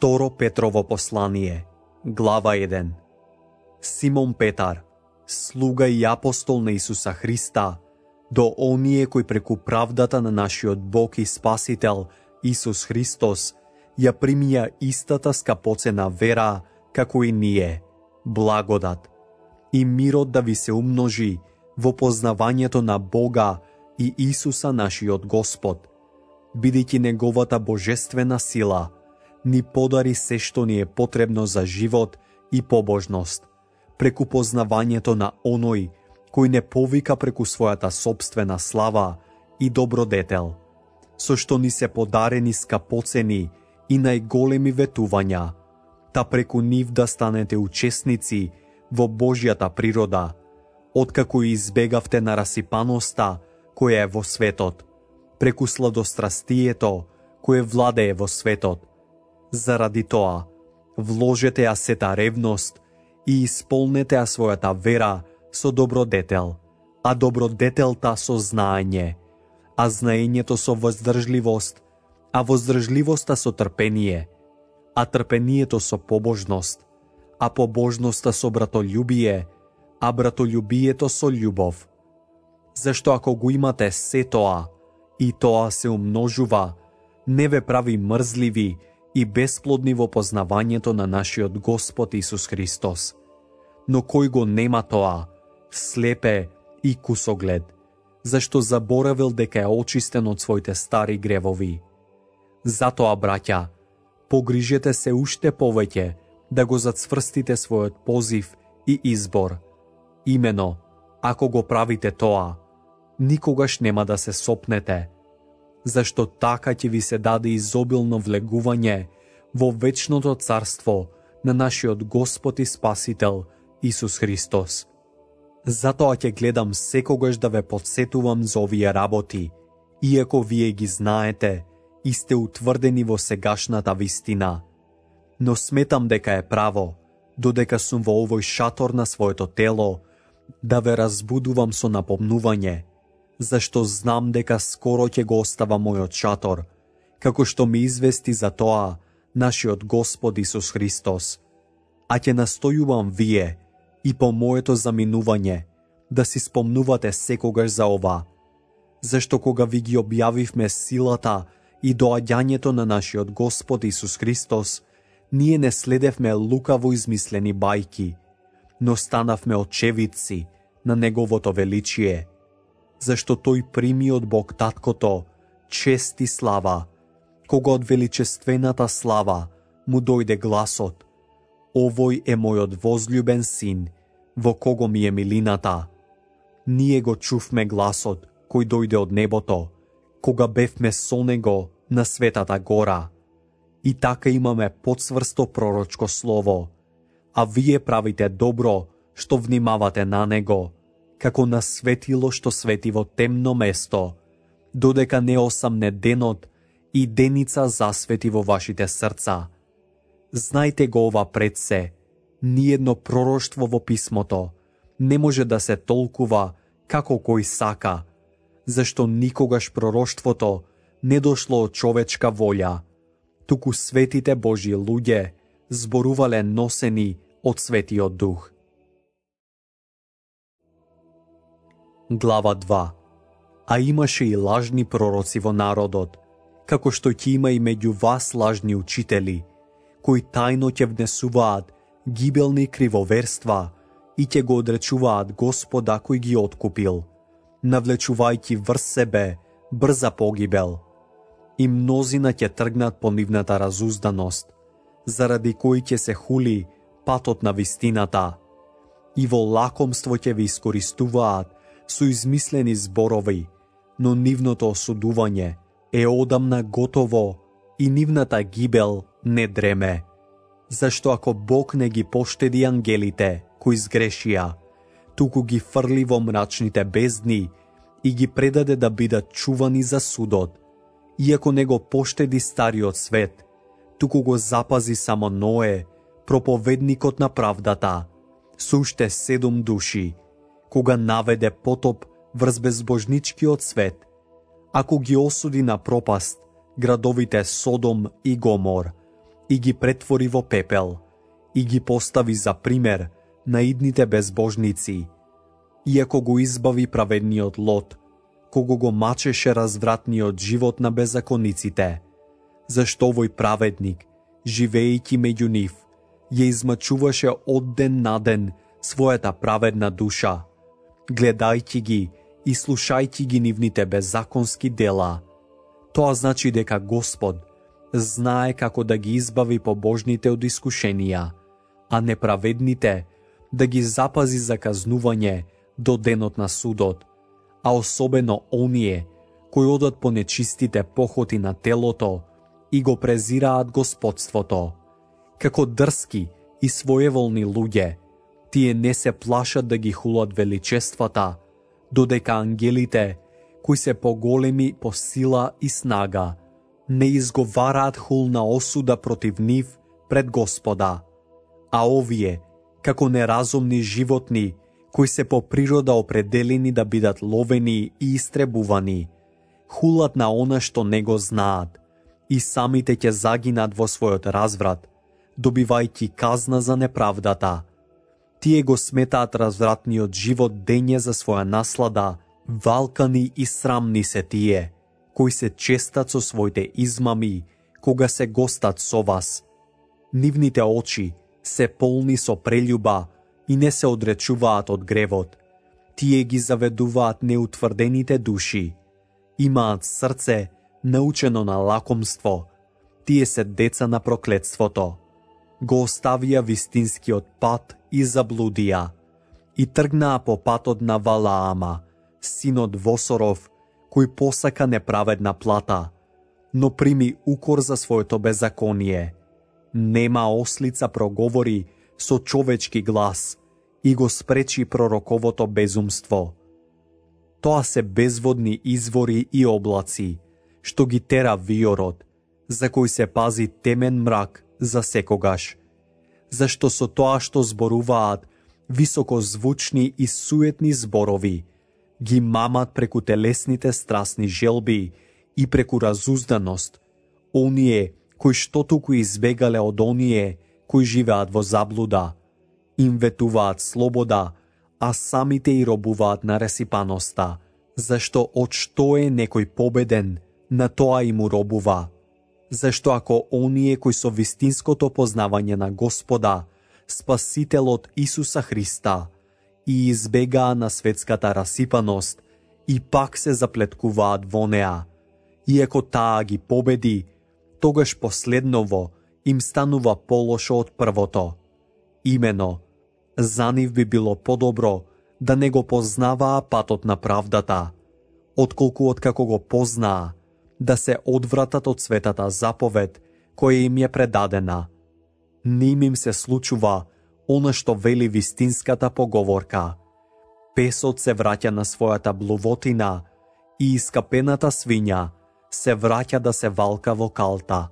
Второ Петрово послание, глава 1. Симон Петар, слуга и апостол на Исуса Христа, до оние кои преку правдата на нашиот Бог и Спасител Исус Христос ја примија истата скапоцена вера како и ние, благодат и мирот да ви се умножи во познавањето на Бога и Исуса нашиот Господ, бидејќи неговата божествена сила ни подари се што ни е потребно за живот и побожност, преку познавањето на оној кој не повика преку својата собствена слава и добродетел, со што ни се подарени скапоцени и најголеми ветувања, та преку нив да станете учесници во Божјата природа, откако избегавте на расипаноста која е во светот, преку сладострастието кое владее во светот. Заради тоа, вложете ја сета ревност и исполнете ја својата вера со добродетел, а добродетелта со знаење, а знаењето со воздржливост, а воздржливоста со трпение, а трпението со побожност, а побожноста со братолюбие, а братолюбието со љубов. Зашто ако го имате се тоа, и тоа се умножува, не ве прави мрзливи и бесплодни во познавањето на нашиот Господ Исус Христос. Но кој го нема тоа, слепе и кусоглед, зашто заборавил дека е очистен од своите стари гревови. Затоа, браќа, погрижете се уште повеќе да го зацврстите својот позив и избор. Имено, ако го правите тоа, никогаш нема да се сопнете, зашто така ќе ви се даде изобилно влегување во вечното царство на нашиот Господ и Спасител Исус Христос. Затоа ќе гледам секогаш да ве подсетувам за овие работи, иако вие ги знаете и сте утврдени во сегашната вистина. Но сметам дека е право, додека сум во овој шатор на своето тело, да ве разбудувам со напомнување, зашто знам дека скоро ќе го остава мојот шатор, како што ми извести за тоа нашиот Господ Исус Христос. А ќе настојувам вие и по моето заминување да си спомнувате секогаш за ова, зашто кога ви ги објавивме силата и доаѓањето на нашиот Господ Исус Христос, ние не следевме лукаво измислени бајки, но станавме очевидци на Неговото величие, зашто тој прими од Бог Таткото чест и слава, кога од величествената слава му дојде гласот: овој е мојот возљубен син, во кого ми е милината. Ние го чувме гласот кој дојде од небото, кога бевме со него на Светата гора. И така имаме потсврсто пророчко слово, а вие правите добро што внимавате на него, како на светило што свети во темно место, додека не осамне денот и деница засвети во вашите срца. Знајте го ова пред се, ниедно пророштво во писмото не може да се толкува како кој сака, зашто никогаш пророштвото не дошло од човечка волја, туку светите Божји луѓе зборувале носени од Светиот Дух. Глава 2. А имаше и лажни пророци во народот, како што ќе има и меѓу вас лажни учители, кои тајно ќе внесуваат гибелни кривоверства и ќе го одречуваат Господа кој ги откупил, навлечувајќи врз себе брза погибел. И мнозина ќе тргнат по нивната разузданост, заради кои ќе се хули патот на вистината, и во лакомство ќе ви искористуваат со измислени зборови, но нивното осудување е одамна готово и нивната гибел не дреме. Зашто ако Бог не ги поштеди ангелите кои сгрешија, туку ги фрли во мрачните бездни и ги предаде да бидат чувани за судот, иако не го поштеди стариот свет, туку го запази само Ное, проповедникот на правдата, со уште 7 души, кога наведе потоп врз безбожничкиот свет, ако ги осуди на пропаст градовите Содом и Гомор, и ги претвори во пепел и ги постави за пример на идните безбожници, иако го избави праведниот Лот, кого го мачеше развратниот живот на беззакониците, зашто овој праведник, живеејќи меѓу нив, ја измачуваше од ден на ден својата праведна душа, гледајќи ги и слушајќи ги нивните беззаконски дела. Тоа значи дека Господ знае како да ги избави побожните од искушенија, а неправедните да ги запази за казнување до денот на судот, а особено оние кои одат по нечистите похоти на телото и го презираат господството. Како дрски и своеволни луѓе, тие не се плашат да ги хулат величествата, додека ангелите, кои се поголеми по сила и снага, не изговараат хулна осуда против нив пред Господа. А овие, како неразумни животни, кои се по природа определени да бидат ловени и истребувани, хулат на она што не го знаат, и самите ќе загинат во својот разврат, добивајќи казна за неправдата. Тие го сметаат развратниот живот дење за своја наслада, валкани и срамни се тие, кои се честат со своите измами, кога се гостат со вас. Нивните очи се полни со прељуба и не се одречуваат од гревот. Тие ги заведуваат неутврдените души. Имаат срце научено на лакомство. Тие се деца на проклетството. Го оставија вистинскиот пат и заблудија и тргнаа по патот на Валаама, синот Восоров, кој посака неправедна плата, но прими укор за своето беззаконие. Нема ослица проговори со човечки глас и го спречи пророковото безумство. Тоа се безводни извори и облаци, што ги тера виорот, за кој се пази темен мрак за секогаш, зашто со тоа што зборуваат високозвучни и суетни зборови, ги мамат преку телесните страсни желби и преку разузданост, оние кои што туку избегале од оние кои живеат во заблуда, им ветуваат слобода, а самите и робуваат на ресипаноста, зашто од што е некој победен, на тоа им робува. Зашто ако оние кои со вистинското познавање на Господа, Спасителот Исуса Христа, и избегаа на светската расипаност, и пак се заплеткуваат во неа, иако таа ги победи, тогаш последново им станува полошо од првото. Имено, за нив би било подобро да не го познаваа патот на правдата, отколку откако го познаа, да се одвратат од светата заповед која им е предадена. Ним им се случува она што вели вистинската поговорка. Песот се враќа на својата блувотина и искапената свиња се враќа да се валка во калта.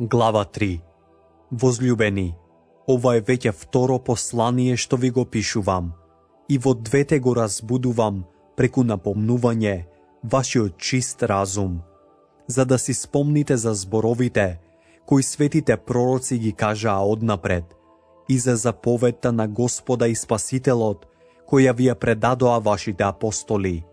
Глава 3. Возлюбени, ова е веќе второ послание што ви го пишувам, и во двете го разбудувам преку напомнување вашиот чист разум, за да си спомните за зборовите кои светите пророци ги кажаа однапред и за заповедта на Господа и Спасителот која ви ја предадоа вашите апостоли.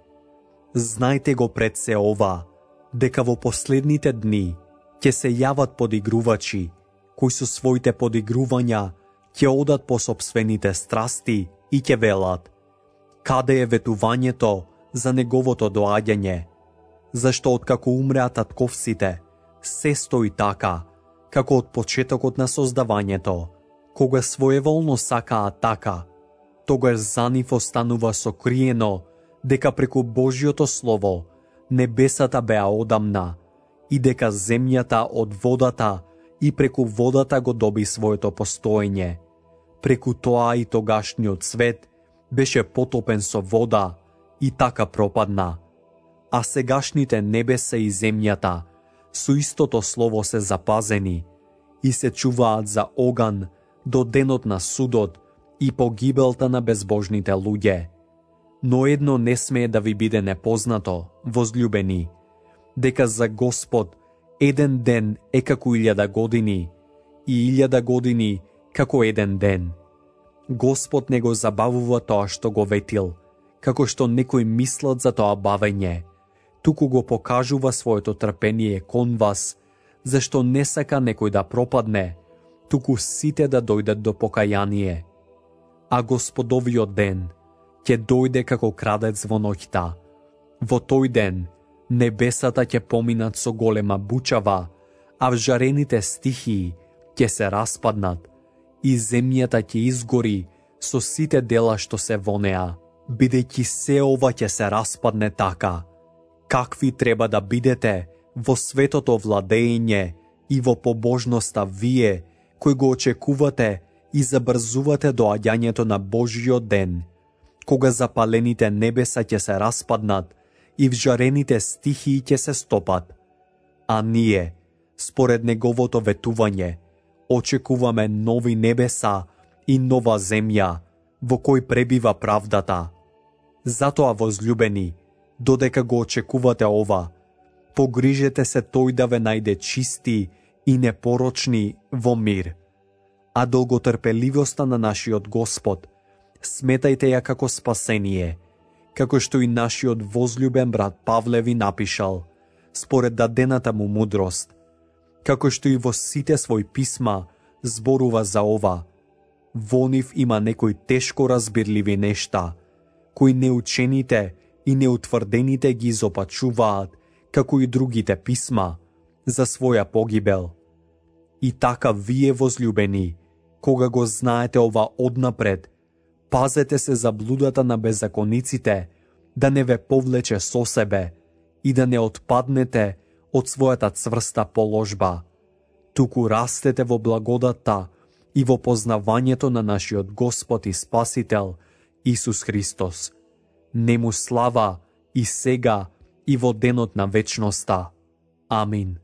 Знајте го пред се ова, дека во последните дни ќе се јават подигрувачи, кои со своите подигрувања ќе одат по сопствените страсти и ќе велат: каде е ветувањето за неговото доаѓање? Зашто откако умреа татковците, се стои така, како од почетокот на создавањето, кога своеволно сакаа така, тогаш за нив останува сокриено дека преку Божјото Слово небесата беа одамна и дека земјата од водата и преку водата го доби своето постоење. Преку тоа и тогашниот свет беше потопен со вода и така пропадна. А сегашните небеса и земјата со истото слово се запазени и се чуваат за оган до денот на судот и погибелта на безбожните луѓе. Но едно не смее да ви биде непознато, возлюбени, дека за Господ еден ден е како 1000 години и 1000 години како еден ден. Господ не го забавува тоа што го ветил, како што некои мислат за тоа бавење, туку го покажува своето трпение кон вас, зашто не сака некој да пропадне, туку сите да дојдат до покаяние. А Господовиот ден ќе дојде како крадец во ноќта. Во тој ден небесата ќе поминат со голема бучава, а вжарените стихии ќе се распаднат и земјата ќе изгори со сите дела што се во неа, бидејќи се ова ќе се распадне така. Какви треба да бидете во светото владење и во побожноста вие, кои го очекувате и забрзувате доаѓањето на Божиот ден, кога запалените небеса ќе се распаднат и вжарените стихии ќе се стопат. А ние, според неговото ветување, очекуваме нови небеса и нова земја, во кој пребива правдата. Затоа, возлюбени, додека го очекувате ова, погрижете се тој да ве најде чисти и непорочни во мир. А долготрпеливоста на нашиот Господ сметајте ја како спасение, како што и нашиот возлюбен брат Павле ви напишал, според дадената му мудрост, како што и во сите своји писма зборува за ова. Во нив има некои тешко разбирливи нешта, кои неучените и неутврдените ги изопачуваат, како и другите писма, за своја погибел. И така вие, возлюбени, кога го знаете ова однапред, пазете се за блудата на беззакониците, да не ве повлече со себе и да не отпаднете од својата цврста положба, туку растете во благодатта и во познавањето на нашиот Господ и Спасител Исус Христос. Нему слава и сега и во денот на вечноста. Амин.